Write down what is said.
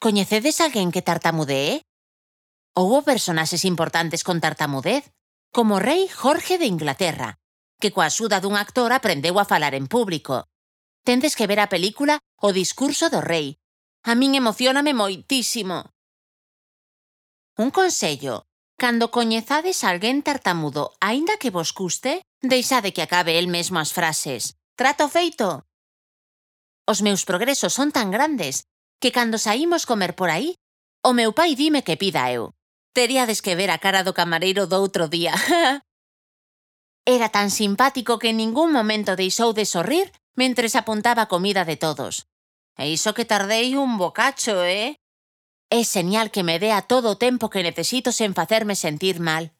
Coñecedes alguén que tartamudee? Houbo personaxes importantes con tartamudez, como o rei Jorge de Inglaterra, que coa axuda dun actor aprendeu a falar en público. Tendes que ver a película O discurso do rei. A min emocióname moitísimo. Un consello. Cando coñezades a alguén tartamudo, aínda que vos custe, deixade que acabe el mesmo as frases. Trato feito? Os meus progresos son tan grandes que cando saímos comer por aí, o meu pai dime que pida eu. Teríades que ver a cara do camareiro do outro día. Era tan simpático que en ningún momento deixou de sorrir mentres apuntaba a comida de todos. E iso que tardei un bocacho, É señal que me dea todo o tempo que necesito sen facerme sentir mal.